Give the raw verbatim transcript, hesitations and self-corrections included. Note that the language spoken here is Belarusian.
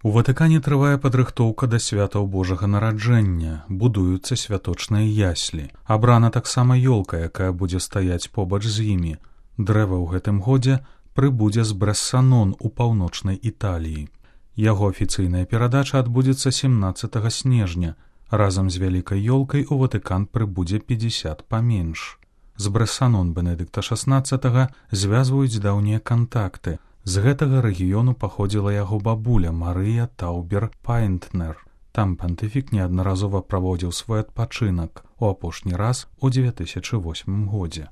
У Ватыкане трывае падрыхтоўка да святаў Божага нараджэння, будуюцца святочныя яслі. Абрана таксама ёлка, якая будзе стаяць побач з імі. Дрэва ў гэтым годзе прыбудзе з Брэссанон у паўночнай Італіі. Яго афіцыйная перадача адбудзецца сямнаццатага снежня. Разам з вялікай ёлкай у Ватыкан прыбудзе пятьдесят паменш. З Брэссанон Бенедыкта шаснаццатага звязваюць даўнія кантакты. З гэтага рэгіёну паходзіла яго бабуля Марыя Таубер-Пайнтнер. Там пантыфік неаднаразова праводзіў свой адпачынак, у апошні раз у две тысячы восьмым годзе.